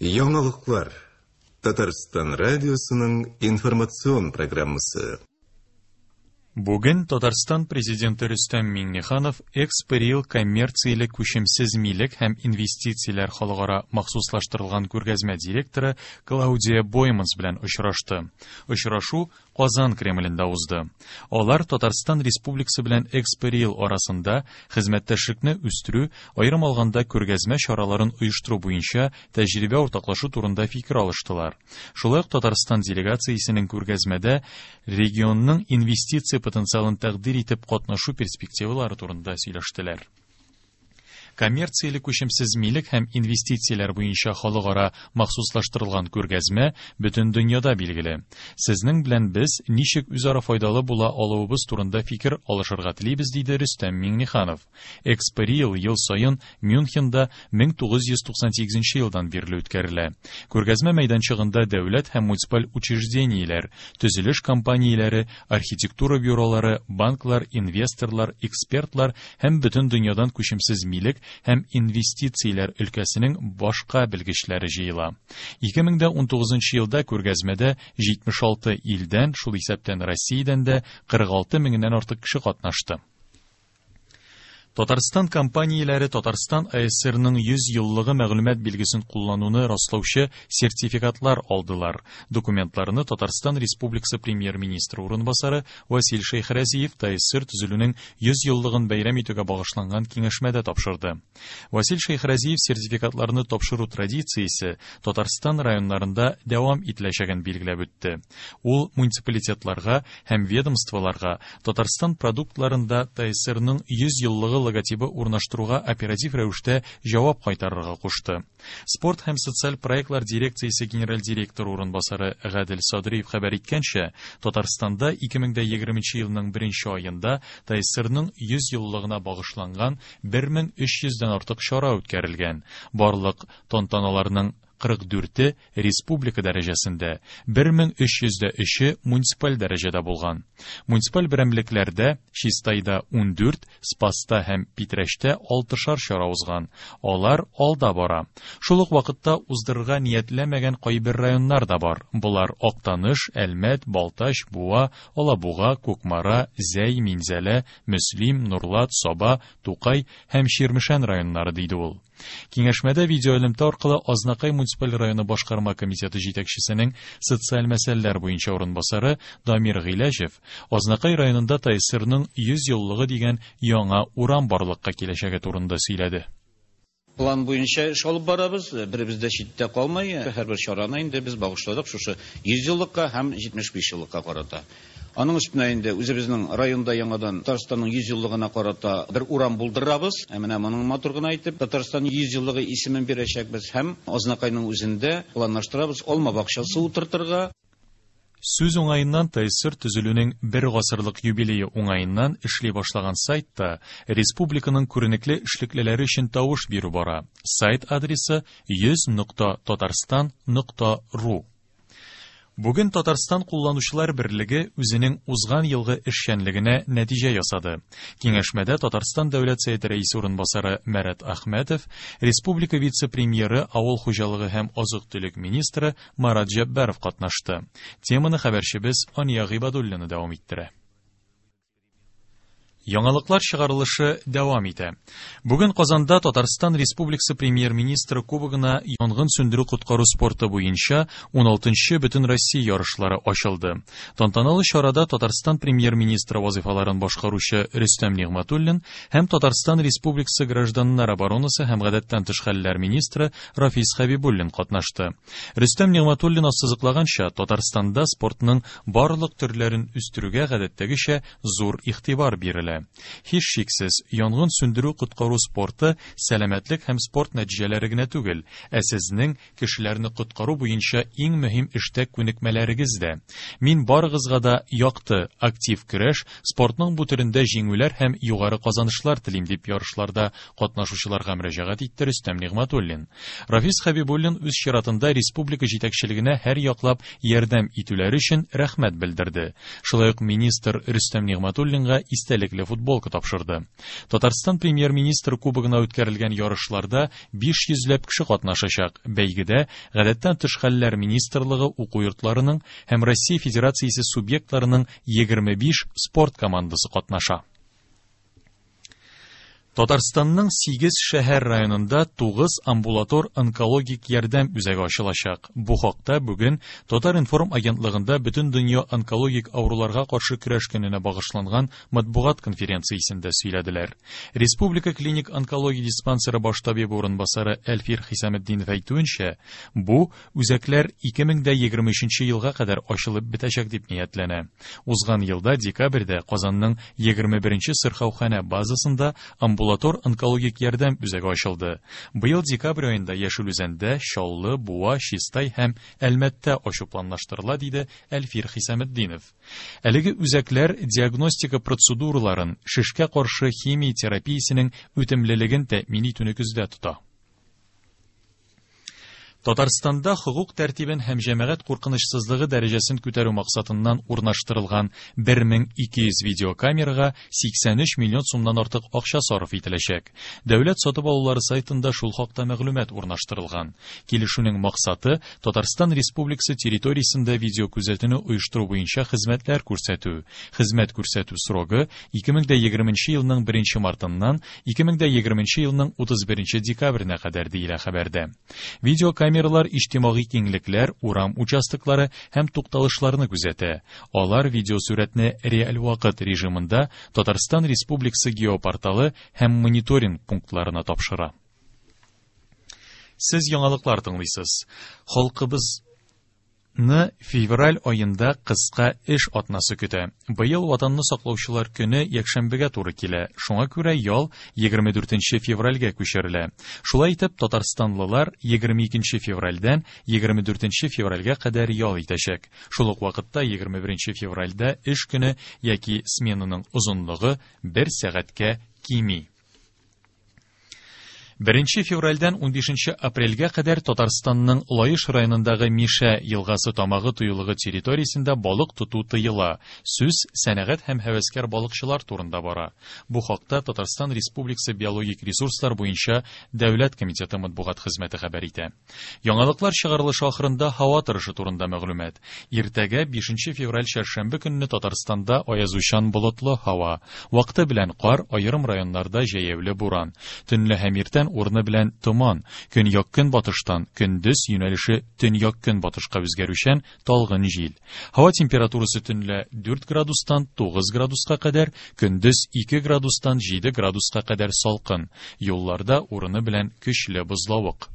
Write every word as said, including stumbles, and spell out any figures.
Яңалыклар. Татарстан радиосының информацион программасы. Бүген Татарстан Президенты Рөстәм Миңнеханов Экспо-Риэл коммерцияле күчемсез милек һәм инвестицияләр халыкара махсуслаштырылган күргәзмә директоры Клаудия Бойманс белән очрашты. Очрашу Казан Кремлендә узды. Алар Татарстан Республикасы белән Экспо-Риэл арасында хезмәттәшлекне үстерү, аерым алганда күргәзмә чараларын оештыру буенча тәҗрибә уртаклашу турында фикер алыштылар. Шулай ук Татарстан делегациясенең күргәзмәдә регионның инвестиция потенциалын тәкъдир итеп катнашу перспективалары турында сөйләштеләр. Коммерцияле күчемсез милек һәм инвестицияләр буенча халыкара махсуслаштырылган күргәзмә бөтен дөньяда билгеле. Сезнең белән без ничек үзара файдалы була алуыбыз турында фикер алышырга телибез, диде Рөстәм Миңнеханов. Экспо-Риэл ел саен Мюнхенда мең тугыз йөз туксан сигезенче елдан бирле үткәрелә. Күргәзмә мәйданчыгында дәүләт һәм муниципаль учреждениеләр, төзелеш компанияләре, архитектура бюролары, банклар, инвесторлар, экспертлар һәм бөтен дөньядан күчемсез милек һәм инвестицияләр өлкәсенең башка белгечләре җыела. Ике мең дә унтугызынчы елда күргәзмәдә җитмеш алты илдән, шул исәптән Россиядән дә кырык алты меңнән артык кеше катнашты. Татарстан компанияләре Татарстан А Эс Эс Эрның йөз еллыгы мәгълүмат билгесен куллануны раслаучы сертификатлар алдылар. Документларны Татарстан Республикасы премьер-министры урынбасары Василь Шәйхразиев Т А Эс Эс Эр төзелүнең йөз еллыгын бәйрәм итүгә багышланган киңәшмәдә тапшырды. Василь Шәйхразиев сертификатларны тапшыру традициясе Татарстан районнарында дәвам ителәчәген билгеләп үтте. Ул муниципалитетларга һәм ведомстволарга Татарстан продуктларында Т А Эс Эс Эрның йөз еллыгы логотибы урнаштыруга оператив рәвештә җавап кайтарырга кушты. Спорт һәм социаль проектлар дирекциясе генераль директоры урынбасары Гадел Садриев хәбәр иткәнчә, Татарстанда ике мең дә егерменче елның беренче аенда Т А Эс Эс Эрның йөз еллыгына багышланган бер мең өч йөздән артык чара үткәрелгән. Барлык тантаналарның кырык дүрте республика дәрәҗәсендә, бер мең өч йөз дә өче муниципаль дәрәҗәдә булган. Муниципаль берәмлекләрдә Чистайда ундүрт, Спаста һәм Питрәчтә алтышар чара узган. Алар алда бара. Шул ук вакытта уздырырга ниятләмәгән кайбер районнар да бар. Болар Актаныш, Әлмәт, Балтач, Буа, Алабуга, Кукмара, Зәй, Минзәлә, Мөслим, Нурлат, Саба, Тукай һәм Чирмешән районнары, диде ул. Киңәшмәдә видеоэлемтә аркылы Азнакай муниципаль районы башкарма комитеты җитәкчесенең социаль мәсьәләләр буенча урынбасары Дамир Гыйләҗев Азнакай районында Т А Эс Эс Эрның йөз еллыгы дигән яңа урам барлыкка киләчәге турында сөйләде. План буенча эш алып барабыз, беребез дә читтә калмай, һәрбер чараны инде без багышладык шушы йөз еллыкка һәм җитмеш биш еллыкка карата. Аның өстенә инде үзебезнең районда яңадан Татарстанның йөз еллыгына карата бер урам булдырабыз. Ә менә моның матур гына итеп Татарстан йөз еллыгы исемен бирәчәкбез һәм Азнакайның үзендә планлаштырабыз алма бакчасы утыртырга. Сүз уңаеннан Т А Эс Эс Эр төзелүнең бер гасырлык юбилее уңаеннан эшли башлаган сайтта республиканың күренекле эшлеклеләре өчен тавыш бирү бара. Сайт адресы йөз нокта татарстан нокта ру. Бүген Татарстан кулланучылар берлеге үзенең узган елгы эшчәнлегенә нәтиҗә ясады. Киңәшмәдә Татарстан Дәүләт Советы рәисе урынбасары Марат Әхмәтов, республика вице-премьеры, авыл хуҗалыгы һәм азык-төлек министры Марат Җәббаров катнашты. Теманы хәбәрчебез Ания Гыйбадуллина дәвам иттерә. Яңалыклар чыгарылышы дәвам итә. Бүген Казанда Татарстан Республикасы премьер-министры кубогына янгын сүндерү коткару спорты буенча уналтынчы Бөтенроссия ярышлары ачылды. Тантаналы чарада Татарстан премьер-министры вазифаларын башкаручы Рөстәм Нигъмәтуллин һәм Татарстан Республикасы гражданнар оборонасы һәм гадәттән тыш хәлләр министры Рафис Хәбибуллин катнашты. Рөстәм Нигъмәтуллин ассызыклаганча, Татарстанда спортның барлык төрләрен үстерүгә гадәттәгечә зур игътибар бирелә. Һичшиксез, янгын сүндерү коткару спорты сәламәтлек һәм спорт нәтиҗәләре генә түгел, ә сезнең кешеләрне коткару буенча иң мөһим эштә күнекмәләрегез дә. Мин барыгызга да якты, актив көрәш, спортның бу төрендә җиңүләр һәм югары казанышлар телим, дип ярышларда катнашучыларга мөрәҗәгать итте Рөстәм Нигъмәтуллин. Рафис Хәбибуллин үз чиратында республика җитәкчелегенә һәр яклап ярдәм итүләре өчен рәхмәт белдерде. Шулай ук министр Рөстәм Нигъмәтуллинга истәлекле футболка тапшырды. Татарстан премьер-министры кубогына үткәрелгән ярышларда биш йөзләп кеше катнашачак. Бәйгедә Гадәттән тыш хәлләр министрлыгы уку йортларының һәм Россия Федерациясе субъектларының егерме биш спорт командасы катнаша. Татарстанның сигез шәһәр районында тугыз амбулатор онкологик ярдәм үзәге ачылачак. Бу хакта бүген Татар-информ агентлыгында бөтен дөнья онкологик авыруларга каршы көрәш көненә багышланган матбугат конференциясендә сөйләделәр. Республика клиник онкология диспансеры баш табибы урынбасары Әлфир Хисаметдинов әйтүенчә, бу үзәкләр ике мең дә егерме өченче елга кадәр ачылып бетәчәк дип ниятләнә. Узган елда декабрьдә Казанның егерме беренче сырхауханә базасында амбулатор Амбулатор онкологик ярдәм үзәге ачылды. Быел декабрь аенда Яшел Үзәндә, Чаллы, Буа, Чистай һәм Әлмәттә ачу планлаштырыла, диде Әлфир Хисаметдинов. Әлеге үзәкләр диагностика процедураларын, шешкә каршы химия терапиясенең үтемлелеген тәэмин итүне күздә тота. Татарстанда хокук тәртибен һәм җәмәгать куркынычсызлыгы дәрәҗәсен күтәрү максатыннан урнаштырылган бер мең ике йөз видеокамерага сиксән өч миллион сумнан артык акча сарыф ителәчәк. Дәүләт сатып алулары сайтында шул хакта мәгълүмат урнаштырылган. Килешүнең максаты Татарстан Республикасы территориясендә видеокүзәтүне оештыру буенча хезмәтләр күрсәтү. Хезмәт күрсәтү срогы ике мең дә егерменче елның беренче мартыннан ике мең дә егерменче елның утыз беренче декабренә кадәр диелә хәбәрдә. Видеокамера Камералар иҗтимагый киңлекләр, урам участоклары һәм тукталышларны күзәтә. Алар видеосурәтне реаль вакыт режимында Татарстан Республикасы геопорталы һәм мониторинг пунктларына тапшыра. Сез яңалыклар тыңлыйсыз. Халкыбыз ны февраль аенда кыска эш атнасы көтә. Быел Ватанны саклаучылар көне якшәмбегә туры килә. Шуңа күрә ял егерме дүртенче февральгә күчерелә. Шулай итеп, татарстанлылар егерме икенче февральдән егерме дүртенче февральгә кадәр ял итәчәк. Шул ук вакытта егерме беренче февральдә эш көне яки сменаның озынлыгы бер сәгатькә кими. Беренче февральдән унбишенче апрельгә кадәр Татарстанның Лаеш районындагы Мишә елгасы тамагы тыюлыгы территориясендә балык тоту тыела. Сүз сәнәгать һәм һәвәскәр балыкчылар турында бара. Бу хакта Татарстан Республикасы биологик ресурслар буенча Дәүләт комитеты матбугат хезмәте хәбәр итә. Яңалыклар чыгарылышы ахырында һава торышы турында мәгълүмат. Иртәгә бишенче февраль чәршәмбе көнне Татарстанда аязучан болытлы һава. Вакыты белән кар, аерым районнарда җәяүле буран. Төнлә һәм иртән урыны белән томан, көньяк көнбатыштан көндез юнәлеше төньяк көнбатышка үзгәрүчән талгын җил. Һава температурасы төнлә дүрт градустан тугыз градуска кадәр, көндез ике градустан җиде градуска кадәр салкын. Юлларда урыны белән көчле бозлавык.